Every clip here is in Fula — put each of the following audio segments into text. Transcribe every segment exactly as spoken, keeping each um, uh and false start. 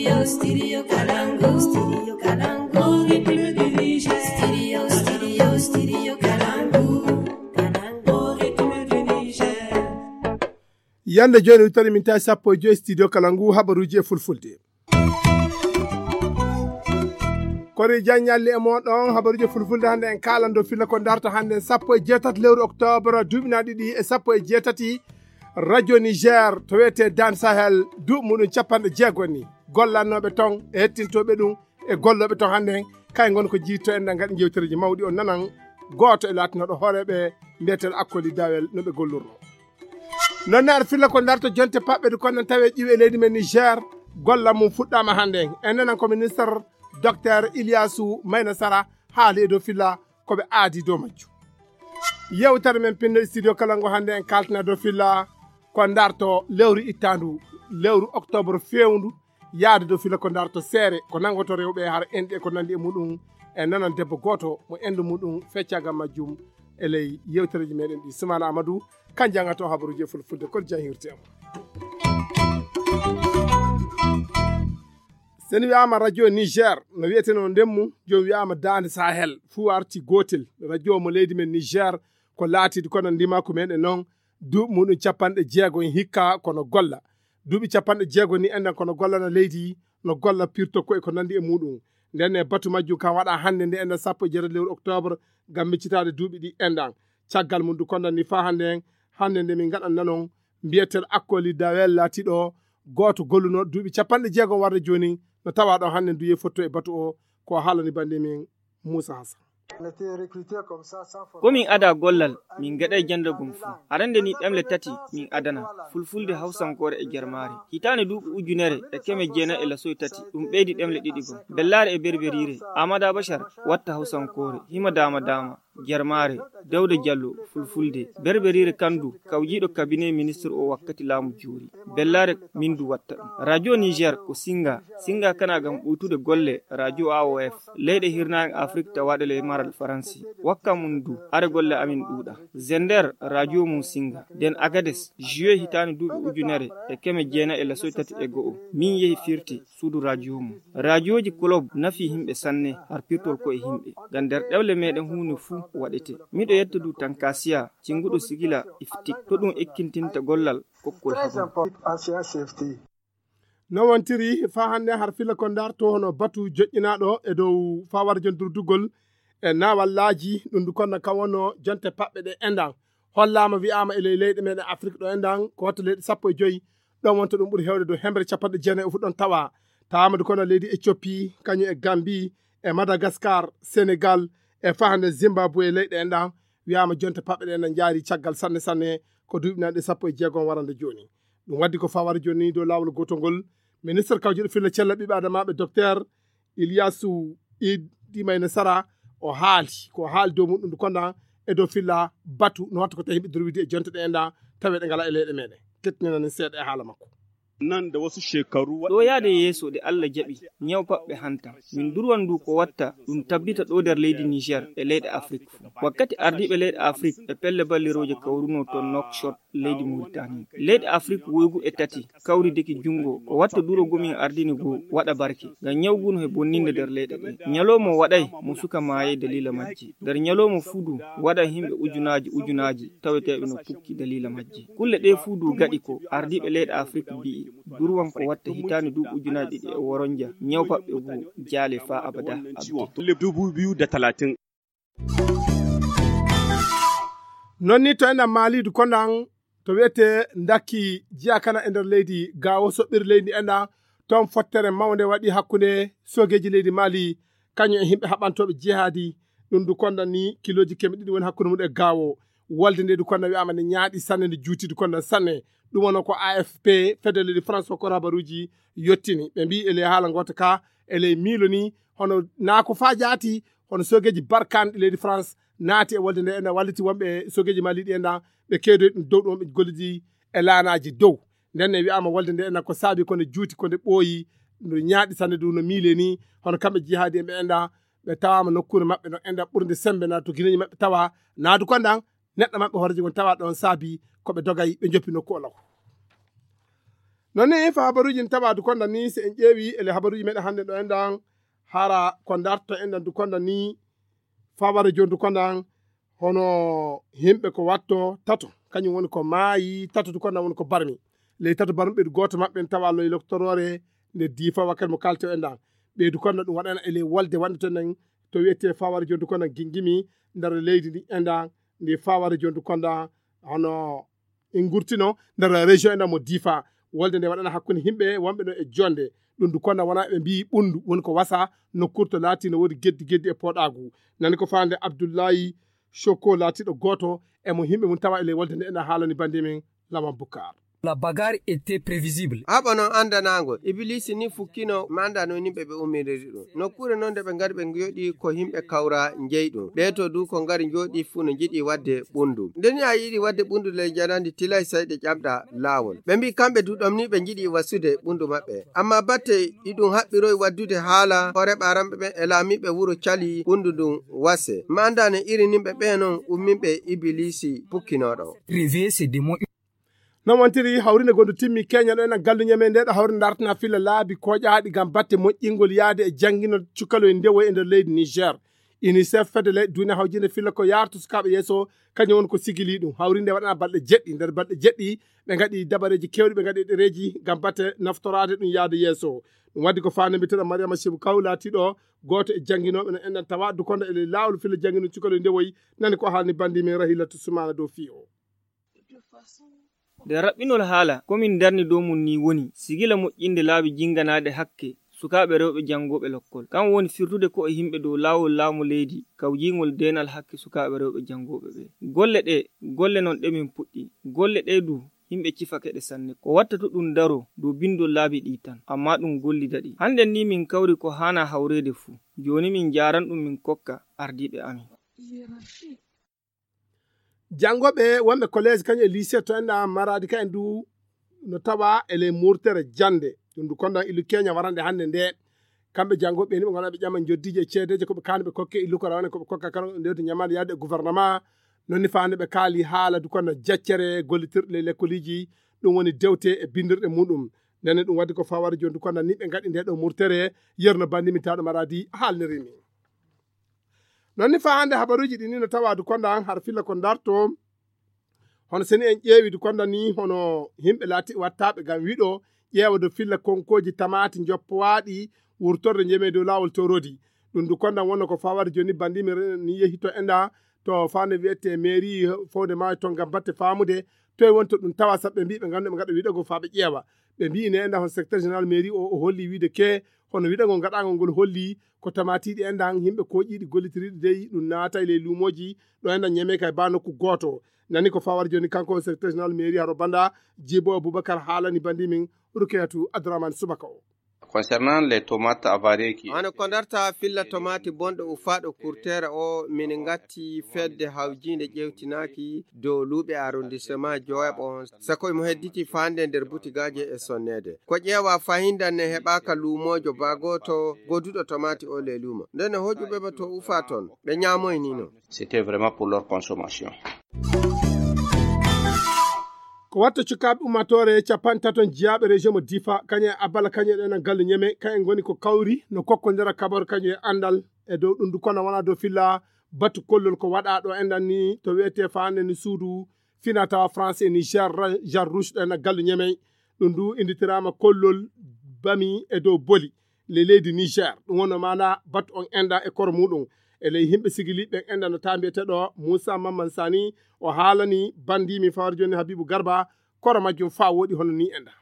Studio Kalangu, Studio Kalangu, Studio Kalangu, Kalangu, Yande jooni wittori min tawi sappo e joyi studio kala ngu habaruuji e fulfulde. Kori jaññalli e moɗon habaruuji fulfulde hannde en kaalando filla ko darto hannde sappo e jeetati lewru octobre duuɓi na ɗiɗi e sappo e jeetati. Radio Niger to wiyetee Dan Sahel duuɓi muɗum capanɗe jeego ni gollannooɓe ton e hettintooɓe ɗum e gollooɓe ton hannde en kay ngon ko jiitto en ɗan ngaɗi jewtereeji mawɗi on nanan gooto e laatinooɗo hooreeɓe mbiyeteeɗo Akkoli Dawel no ɓe gollurno. Noon ne aɗa filla ko darto jonte paɓɓe ɗe kono tawi ƴiwe leydi men Niger golla mum fuɗɗaama hannde en nanan ko ministre docteur Iliyasu Mayna Sara haali e dow filla ko ɓe aadi dow majju. Yewtere men pinno studio kala ngo hannde en kaltina dow filla ko darto lewru ittaandu lewru octobre fewndu yaade dow filla ko darto seere ko nangoto rewɓe hara enɗi e ko nandi e muɗum e nanan debbo gooto mo endu muɗum feccagal majjum e ley yewtereji meɗen ɗi Sumana Amadou kan jangato habaruji e fulfulde kol jahirte am. Sen wiyama radio Niger no wiyeteno ndemmu jom wiyama dande Sahel fuu arti gotel radio mo leydi men Niger ko laatidi kono ndima ko meɗen noon duuɓi muɗum capanɗe jeego en hikka kono golla duuɓi capanɗe jeego ni enɗan kono gollana leydi no golla pirto ko e ko nandi e muɗum nden e batu majjum kan waɗa hannde nde enɗan sappo e jeetati lewru octobre ngam miccitaade duuɓi ɗi enɗan caggal mum du kondan ni faa hannde en hannde nde min ngaɗan nanon mbiyetel Akkoli Dawel laatiɗo gooto golluno duuɓi capanɗe jeego warde jooni no tawa ɗon hannde duye fotto e batu o ko haalani bande min Moussa Hassan. Ko min ada gollal min gaɗay jandagum fuu. Arande ni ɗemle tati min adana, fulfulde, hawsankoore e jarmaare. Hitaande duuɓi ujunere e keme jeenayi e lasoy tati ɗum ɓeydi ɗemle ɗiɗi gom. Bellaare e berberiire, Amada Bashar watta hawsankoore, hima dama dama, jarmaare, Dawda Jallo, fulfulde, berberiire kandu, kawjiiɗo kabine ministre o wakkati laamu joori. Bellaare min du watta ɗum. Radio Niger ko singa, singa kana gam ɓuytude golle radio A O F. Leyɗe hirnaange Afrik tawaaɗe ley maral Faransi. Wakka mum du, are golle amin ɗuuɗa. Zender, radio mum singa. Den Agades, juillet hitaande duuɓi ujunere e keme jeenayi e lasoy tati e go'o. Min yehi firti suudu radio mum. Radioji club nafi himɓe sanne har pirtol ko e himɓe. Gam nder ɗewle meɗen huunde fuu waɗete. Miɗo yetta du Tankasiya, cinguɗo sigila iftik. To ɗum ekkintinta gollal kokkol habaru. No wontiri faa hannde har filla ko ndarto hono batu joƴƴinaaɗo e dow faa warjon durdugol e naawallaaji ɗum du konna kan wonno jonte paɓɓe ɗe enɗan hollaama wi'aama e ley leyɗe meɗen Afrik ɗo enɗan ko watta leyɗe sappo e joyi ɗon wonta ɗum ɓuri heewde dow hemre capanɗe jeenayi o fu ɗon tawa tawaama du kono leydi Ethiopie kañum e Gambie e Madagascar Sénégal e faa hannde Zimbabwe leyɗe enɗan wi'aama jonte paɓɓe ɗe enɗan njaari caggal sanne sanne ko duuɓi nanɗe sappo e jeegom warande jooni. Ɗum waddi ko fawara jooni dow laawol gootol ngol ministre kawjuɗo filla cella ɓiɓɓe adamaaɓe docteur Ilyasu Idi Mayne Sara o haali ko haali dow muɗum konda e dow filla batu no watta ko tawi yimɓe durwidi e jonte ɗe enɗa tawi ɗe ngala e leyɗe meɗen. Kettinanani seeɗa e haala makko. Nan da wasu shekaru ɗo yaade yeeso ɗe Allah jaɓi ñaw paɓɓe hanta min durwan ndu ko watta ɗum tabbita ɗo nder leydi Niger e leyɗe Afrik fuu. Wakkati ardiiɓe leyɗe Afrik e pelle ballirooje kawruno to Nouakchott leydi Mauritanie. Leyɗe Afrik woygu e tati kawridiki junngo ko watta duro gomin ardini goo waɗa barke ngam ñawguno he bonninde nder leyɗe ɗe. Ñalawma waɗay mo suka maayay daliila majji. Nder ñalawma fuu du waɗay himɓe ujunaaji ujunaaji taweteeɓe no pukki daliila majji. Kulle ɗee fuu du gaɗi ko ardiiɓe leyɗe Afrik mbi'i durwan ko watta hitaande duuɓi ujunaaji ɗiɗi e woronja ñaw paɓɓe goo jaale faa abada abada. Dubu biyu da talatin. Non ni to enɗan maalidu kondan to wiyetee ndakki jiyakana e nder leydi gaawo soɓɓiri leydi enɗan toon fottere mawnde waɗi hakkunde soogeeji leydi maali kañum e yimɓe haɓantooɓe jihaadi ɗum du kondan ni kilooji keme ɗiɗi woni hakkunde mum e gaawo wolde nde du kondan wi'aama nde ñaaɗi sanne nde juuti du kondan sanne ɗum wonoo ko A F P fedde leydi France ko habaruuji yottini ɓe mbii e ley haala ngoota ka e ley miilo ni hono naa ko faa jaati hono soogeeji barkaanɗi leydi France naati e wolde nde enɗan walliti wonɓe soogeeji maali ɗi enɗan ɓe keedoyi ɗum dow ɗum ɓe gollidi e laanaaji dow nden ne wi'aama wolde nde enɗan ko saabi ko nde juuti ko nde ɓooyi nde ñaaɗi sanne du no miile ni hono kamɓe jihaadi en ɓe enɗan ɓe tawaama nokkuure maɓɓe no enɗan ɓurde sembe na to gineeji maɓɓe tawa naadu kondan neɗɗo maɓɓe hooreejo ngon tawa ɗon saabi ko ɓe dogay ɓe joppi nokku o law. Non ni fa habaruji en tawa dukonda ni, se en ƴeewi ele habaruji meɗen hannde ɗo enɗan, hara ko darto enɗan dukonda ni, fa wara joni dukonda, hono himɓe ko watto tato, kañum woni ko maayi tato dukonda woni ko barmi. Ley tato barmi ɓeydu gooto maɓɓe en tawa loyi loktoroore nde diifa wakkati mo kalto enɗan. Ɓeydu konda ɗum waɗana ele wolde wonde to enen to wiyete fa wara joni dukonda gingimi nder leydi ndi enɗan, ndi fa wara joni dukonda hono en gurtino nder région enɗan mo diifa. Wolde nde waɗana hakkunde himɓe wonɓe ɗo e jonde. Ɗum du konda wona ɓe mbiyi ɓundu woni ko wasa nokkurto laati no woodi geddi geddi e poɗagu. Nani ko faande Abdullahi Shoko laatiɗo gooto e mo himɓe mum tawa e ley wolde nde ena haalani bandi men Lawan Bukar. La bagarre était prévisible. Haɓa non anndanaango. Ibiliisi ni fukkino manda no yimɓe ɓe ummiriri ɗum. Nokkuure non nde ɓe ngari ɓe njoɗi ko yimɓe kawra njeyi ɗum. Ɓee to du ko ngari njoɗi fuu no njiɗi waɗde ɓunndu. Nde ni a yiɗi waɗde ɓunndu ley njanandi tilay sey ɗe ƴamɗa laawol. Ɓe mbii kamɓe du ɗom ni ɓe njiɗi wasude ɓunndu maɓɓe. Amma batte iɗum haɓɓiroy waɗdude haala hoore ɓaaramɓe ɓen e laamiiɓe wuro cali ɓunndu ndun wase. Manda no iri nimɓe ɓee non umminɓe Ibiliisi pukkinooɗo. Réveiller ces démons. Non wontiri hawrinde gondu timmi Kenya ɗo ena galluñe men nde ɗo hawrinde dartina filla laabi koƴaaɗi ngam batte moƴƴingol yaade e janngino cukaloy ndewoy e nder leydi Niger. Unicef fedde leyɗe duune hawjinde filla ko yaartu sukaaɓe yeeso kañum woni ko sigili ɗum. Hawrinde waɗana balɗe jeɗɗi, nder balɗe jeɗɗi ɓe ngaɗi dabareeji kewɗi, ɓe ngaɗi ɗereeji ngam batte naftoraade ɗum yaade yeeso. Ɗum waddi ko faande mbiteɗo Mariama Shebu Kaw laatiɗo gooto e jannginooɓe no enɗan tawa dukonda e ley laawol filla janngino cukaloy ndewoy. Nani ko haalni bandi men Rahilatu Sumana dow fii o. Nde raɓɓinol haala, ko min darni dow mum nii woni sigila moƴƴinde laabi jinganaaɗe hakke sukaaɓe rewɓe janngooɓe lokkol. Kam woni firtude ko e yimɓe dow laawol laamu leydi kawjiingol deenal hakke sukaaɓe rewɓe janngooɓe ɓe. Golle ɗe, golle non ɗe min puɗɗi. Golle ɗe du, yimɓe cifake ɗe sanne. Ko watta to ɗum daro dow binndol laabi ɗi tan, amma ɗum gollida ɗi. Hannden nii min kawri ko haana hawreede fuu. Jooni min njaaran ɗum min kokka ardiiɓe amin. Janngoɓe wonɓe collège kañum e lycée to enɗa Maradi ka en du no tawa e ley murtere jannde. Ɗum du kondan ilu Kenya warande hannde nde. Kamɓe janngoɓe ni ɓe ngona ɓe ƴama joddiji e ceedeje ko ɓe kaani ɓe kokke ilu ko rawane ko ɓe kokka kala ndewte ñamande yaade e gouvernement. Non ni faande ɓe kaali haala du kondan jaccere gollitirɗe ley lekkoliji. Ɗum woni dewte e bindirɗe muɗum. Ndenne ɗum waddi ko fawade joni du kondan ni ɓe ngaɗi nde ɗo murtere yerno bandi mi taɗo Maradi haalnirimi. Non ni fa hannde habaruuji ɗi ni no tawa du kondan har filla ko darto. Hono seni en ƴeewi du kondan ni hono yimɓe laati wattaɓe ngam wiɗo ƴeewa do filla konkooji tamaati njoppowaaɗi wurtorde njeme dow laawol torodi. Ɗum du kondan wonno ko fawade joni bandi mi ni yehi to enɗa to fande wiyete mairie fowde maayo ton ngam batte faamude toye wonto ɗum tawa saɓɓe mbi ɓe nganndu ɓe ngaɗa wiɗogo fa ɓe ƴeewa. Ɓe mbi ne enɗa hon secteur général mairie o o holli wiide ke hono wiɗogo ngaɗagol ngol holli ko tamatiiɗi enɗan yimɓe koƴiiɗi gollitiriiɗi dey ɗum naata e ley luumooji ɗo enɗan ñeme kay ba nokku gooto. Nani ko fawar joni kanko secteur général mairie haro banda Jibo Aboubacar haalani bandi min Rukayatu Abdourahmane Subaka o. Concernant les tomates avariées qui Hono ko darta filla tomati bonɗo ufaaɗo kurtere o min ngatti fedde hawjiinde ƴewtinaaki dow luuɓe arrondissement Joab on sako imo hedditi faande nder butigaaji e sonneede. Ko ƴeewa fahinda ne heɓaaka luumoojo baa gooto goduɗo tomati o ley luumo. Nden hoƴuɓe mo to ufa ton, ɓe ñaamoynino. C'était vraiment pour leur consommation. Ko watta cukaaɓe ummaatoore capanɗe tato jiyaaɓe région mo Difa, kañum e Abala, kañum e ɗen galle Ñeme, kañum ngoni ko kawri no kokkondira kabaru kañum e anndal e dow ɗum du kono wona dow filla batu kollol ko waɗa ɗo enɗan ni to wiyete faande ni suudu fina tawa français Niger Jean Rouge ɗo enɗan galle Ñeme. Ɗum du inditiraama kollol bami e dow boli le leydi Niger. Ɗum wonno maana batu on enɗan e koro muɗum. E ley yimɓe sigili ɓen enɗan no taa mbiyeteɗo Moussa Mamman Sani o haalani bandi min fawar joni Habibu Garba koro majjum fa woɗi hono ni enɗan.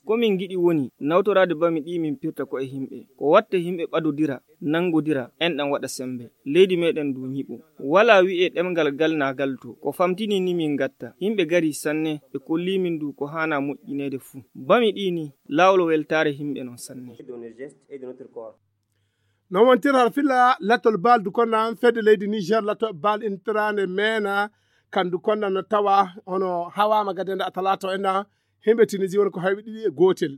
Ko min ngiɗi woni nawtoraade bami ɗi min pirta ko e yimɓe. Ko watta yimɓe ɓadodira, nanngodira, enɗan waɗa semmbe. Leydi meɗen ndu ñiɓo. Walaa wi'e ɗemngal gal naa gal to. Ko famtini ni min ngatta. Yimɓe gari sanne, ɓe kolli min ndu ko haana moƴƴineede fuu. Bami ɗi ni, laawol weltaare yimɓe non sanne. Non wontira har filla lattol bal du konnan fedde leydi Niger lattol bal intirande mena kan du konnan no tawa hono hawama gadende a talato enɗan himɓe Tunisie woni ko hayɓe ɗiɗi e gotel.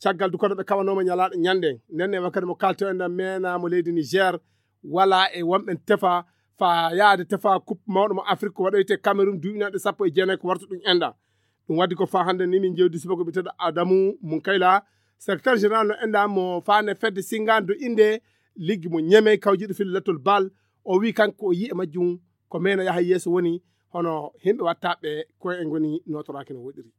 Caggal du kono ɓe kawanooma ñalaaɗo ñande nden e wakkati mo kalto enɗan mena mo leydi Niger wala e wonɓen tefa fa yaade tefa coupe mawɗo mo Afrique ko waɗoyte Cameroun duuɓinanɗe sappo e jeenayi ko wartu ɗum enɗan. Ɗum waɗi ko faa hannde ni min njewdi subaka biyeteeɗo Adamu Munkayla, secrétaire général no enda mo faane fedde singaande dow innde liggi mo Ñemey kawjiiɗo fil lettol bal. O wii kanko o yii e majjum ko mena yaha yeeso woni hono himɓe wattaɓe ko e ngoni notoraaki no woɗiri.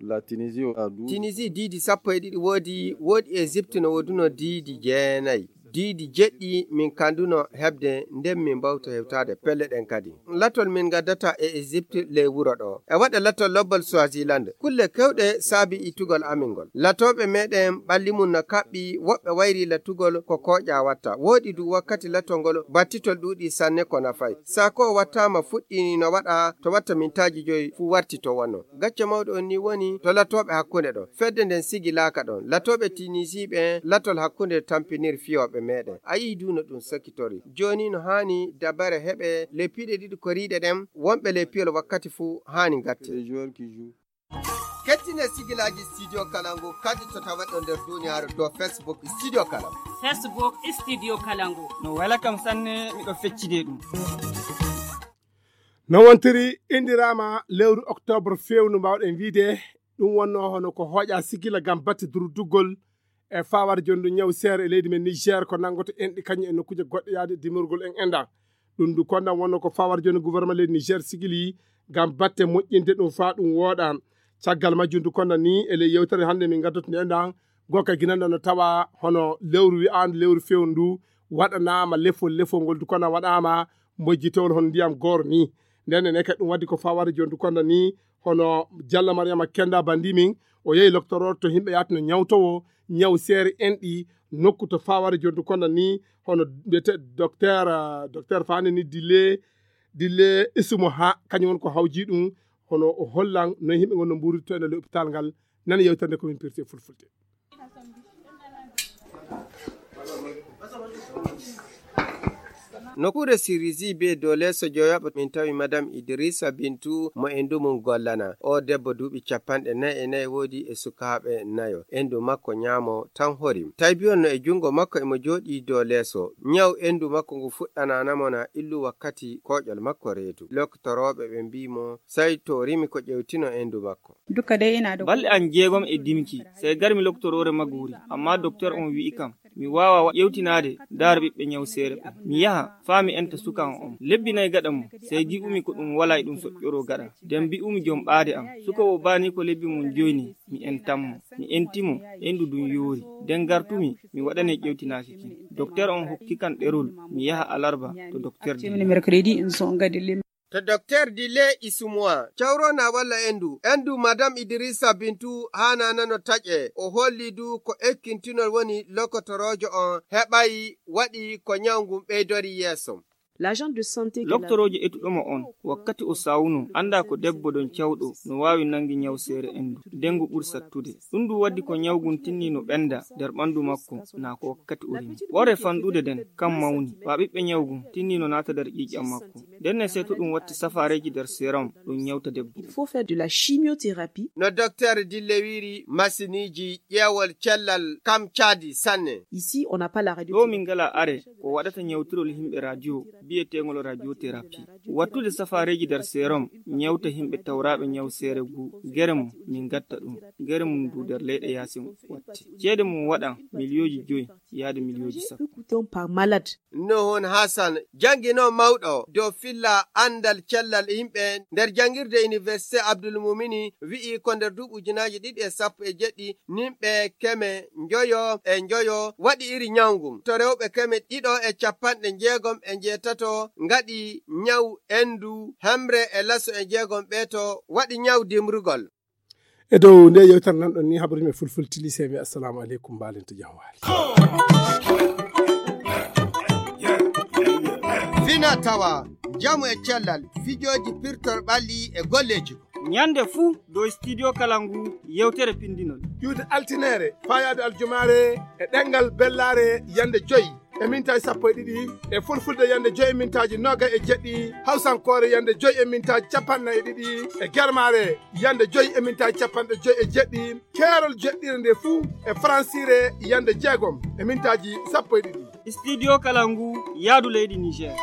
La Tunisie a du. Tunisie diidi sappo e ɗiɗi woodi, woodi Egypte no wooduno diidi jeenayi. Diidi jeɗɗi min kanduno heɓde nden min mbawta hewtaade pelle ɗen kadi. Latol min ngaddata e Egypte ley wuro ɗo. E waɗa latol lobbal Swaziland. Kulle kewɗe saabi ittugol amin ngol. Latooɓe meɗen ɓalli mum no kaɓɓi, woɓɓe wayri latugol ko kooƴa watta. Woodi du wakkati latol ngol battitol ɗuuɗi sanne ko nafay. Saako wattaama fuɗɗi no waɗa to watta mintaaji joyi fuu warti to wonno. Gacce mawɗo on ni woni to latooɓe hakkunde ɗon. Fedde nden sigilaaka ɗon. Latooɓe Tunisiiɓe en latol hakkunde tampinir fiyooɓe meɗen. A yii du no ɗum sakitori. Jooni no haani dabare heɓe ley piiɗe ɗiɗi koriiɗe ɗen, wonɓe ley piyol wakkati fuu haani gatte. Kettine sigilaaji Studio Kalangu kadi to tawaɗo nder duniyaaru dow Facebook Studio Kalangu. Facebook Studio Kalangu. No wela kam sanne, miɗo feccide ɗum. No wontiri indiraama lewru octobre fewndu, mbawɗen wiide ɗum wonno hono ko hooƴa sigila ngam batte durduggol e fawar jondu ñaw seere e leydi men Niger ko nanngoto enɗi kañum e nokkuuje goɗɗe yaade dimorgol en enɗan. Ɗum ndu kondan wonno ko fawar jondu gouvernement leydi Niger sigili ngam batte moƴƴinde ɗum faa ɗum wooɗa. Caggal majjum ndu kondan ni e ley yewtere hannde min ngaddoto nde enɗan, gokka ginanɗo no tawa hono lewru wi'aandu lewru fewndu ndu waɗanaama lefol, lefol ngol ndu kondan waɗaama mojjitewol hono ndiyam gooro ni. Nden enen kadi ɗum waddi ko fawar jondu kondan ni hono Jalla Mariama Kenda Bandimin, o yehi loktorooɗo to himɓe yahatno ñawtowo ñaw seere enɗi nokku to fawar jondu kondan ni hono mbiyete docteur, ah, docteur Fani ni Dille, Dille Isumo ha kañum won ko hawji ɗum hono o hollan no himɓe ngon no mburirto ene le hôpital ngal. Nani yewtere nde ko min pirti e fulfulde. Nokkuure Sirisi be dow leeso joyaɓo min tawi Madame Idrissa Bintu mo endu mum gollana. O debbo duuɓi capanɗe nayi e nayi woodi e sukaaɓe nayo. Endu makko ñaamo tan horim. Taybiyol no e jungo makko emo jooɗii dow leeso. Ñaw endu makko ngu fuɗɗanaana mo na illu wakkati kooƴol makko reedu. Loktorooɓe ɓe mbii mo sai to rimi ko ƴewtino endu makko. Duka dai ina da Balɗe an jeegom e dimki, sey garmi loktoroore Maguri, ammaa doktor on wi'i kam, mi waawa wa-, ƴewtinaade daara ɓiɓɓe ñawseere ɓen. Mi yaha, faa mi enta suka on on. Lebbi nay gaɗa mum, sey gi'umi ko ɗum walaa e ɗum soƴƴoroo gaɗa. Nden bi'umi jom ɓaade am, suka wo baanii ko lebbi mum joy ni, mi entan mo. Mi enti mo, endu ndun yoori. Nden gartumi, mi waɗane ƴewtinaaki kin. Doktor on hokki kan ɗerol, mi yaha alarba to doktor Dili. Mercredi, in son gadi To doktor Dile Isumuwa, cawrona walla endu, endu Madame Idrissa Bintu haana nano taƴe, o holli du ko ekkintinol woni lokotoroojo on heɓay waɗi ko ñaw ngun ɓeydori yeeso. L'agent de santé que Loktoroojo etuɗo mo on, wakkati o sawuno, annda ko debbo don cawɗo no waawi nangi ñaw seere endu, nden ngu ɓuri sattude. Ɗum du waddi ko ñaw ngun tinni no ɓenda nder ɓandu makko, naa ko wakkati o rimi. Ɓore fanɗude nden, kan mawni, wa ɓiɓɓe ñaw ngun tinni no naata nder ƴiiƴam makko. Nden ne sey to ɗum watti safaareeji nder serum, ɗum ñawta debbo. Il faut faire de la chimiothérapie. No docteur Dille wiiri, masiniiji ƴeewol cellal kam caadi sanne. Ici, on n'a pas la radio. Ɗo min ngala are ko waɗata ñawtirol himɓe radio, biyeteengol radiothérapie. Wattude safaareeji nder serum, ñawta himɓe tawraaɓe ñaw seere ngu, gere mum, min gatta ɗum. Gere mum du nder leyɗe yaasin watti. Ceede mum waɗan miliyooji joyi yaade miliyooji sappo. Coûtant par malade. Nohon Hassan, janngino mawɗo dow filla anndal cellal yimɓe nder janngirde Université Abdul Mumini, wi'i ko nder duuɓi ujunaaji ɗiɗi e sappo e jeɗɗi, nimɓe keme njoyo e njoyo waɗi iri ñaw ngun. To rewɓe keme ɗiɗo e capanɗe njeegom e njeetato ngaɗi ñaw endu, hemre e laso e njeegom ɓeeto waɗi ñaw dimrugol. E dow nde yewtere nan ɗon ni haɓru mi fulfulde, sey mi assalamu aleykum, mbaalin to jam waali. Fina tawa, njamu e cellal, fijooji pirtor ɓalli e golleeji. Ñande fuu dow studio kala ngu yewtere pindinol. Iwde altineere, faayaade aljumaare e ɗemngal bellaare yande joyi e mintaaji sappo e ɗiɗi, e fulfulde yande joyi e mintaaji noogay e jeɗɗi, hawsankoore yande joyi e mintaaji capanɗe nayi e ɗiɗi, e germaare yande joyi e mintaaji capanɗe joyi e jeɗɗi, keerol jeɗɗire nde fuu e faransiire yande jeegom e mintaaji sappo e ɗiɗi. Studio kala ngu yaadu leydi Niger.